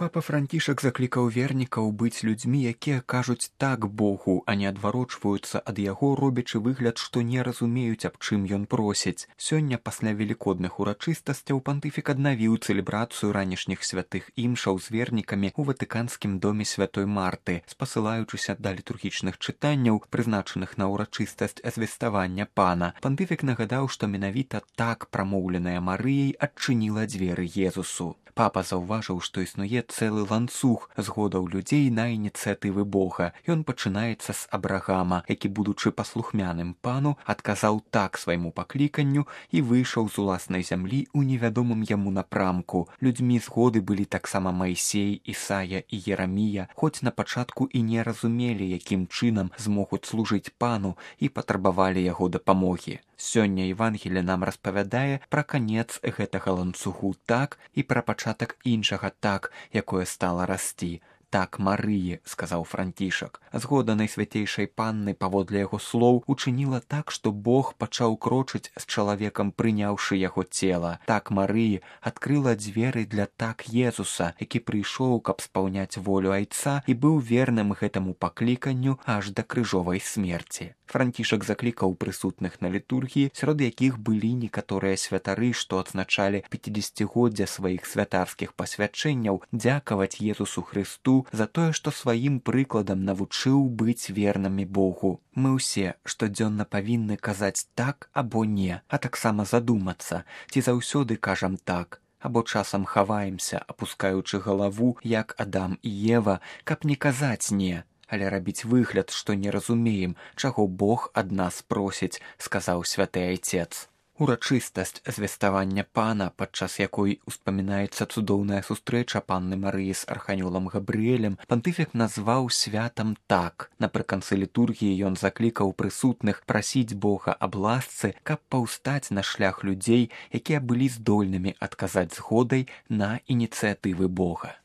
Папа Францішак заклікаў вернікаў быць людзьмі, якія кажуць так Богу, а не адварочваюцца ад яго, робячы выгляд, што не разумеюць, аб чым ён просіць. Сёння, пасля велікодных урачыстасцяў, пантыфік аднавіў цэлебрацыю ранішніх святых імшаў з вернікамі ў ватыканскім доме святой Марты, спасылаючыся да літургічных чытанняў, прызначаных на ўрачыстасць звеставання Пана. Пантыфік нагадаў, што менавіта так прамоўленая Марыяй адчыніла дзверы Езусу. Папа заўважыў, што існуе цэлы ланцуг згодаў людзей на ініцыятывы Бога. Ён пачынаецца з Абрагама, які, будучы паслухмяным Пану, адказаў так свайму пакліканню і выйшаў з уласнай зямлі ў невядомым яму напрамку. Людзьмі згоды былі таксама Майсей, Ісая і Ерамія, хоць на пачатку і не разумелі, якім чынам змогуць служыць Пану і патрабавалі яго дапамогі. Сёння Евангелие нам распавядае пра канец гэтага ланцугу так і пра пачатак іншага так, якое стала расці. Так Марыі, сказаў Францішак. Згода Найсвяцейшай Панны, паводле яго слоў, учыніла так, што Бог пачаў крочыць з чалавекам, прыняўшы яго цела. Так Марыі адкрыла дзверы для так Езуса, які прыйшоў, каб спаўняць волю Айца і быў верным гэтаму пакліканню аж да крыжовай смерці. Францішак заклікаў прысутных на літургіі, сярод якіх былі некаторыя святары, што адзначалі 50-годдзя сваіх святарскіх пасвячэнняў, дзякаваць Езусу Хрысту за тое, што сваім прыкладам навучыў быць вернымі Богу. Мы ўсе штодзённа павінны казаць так або не, а таксама задумацца, ці заўсёды кажам так, або часам хаваемся, апускаючы галаву, як Адам і Ева, каб не казаць не, але рабіць выгляд, што не разумеем, чаго Бог ад нас просіць, сказаў святы Айцец. Урачыстасць звеставання Пана, падчас якой успамінаецца цудоўная сустрэча Панны Марыі з арханёлам Габрыэлем, пантыфік назваў святам так. Напрыканцы літургіі ён заклікаў прысутных прасіць Бога аб ласцы, каб паўстаць на шлях людзей, якія былі здольнымі адказаць згодай на ініцыятывы Бога.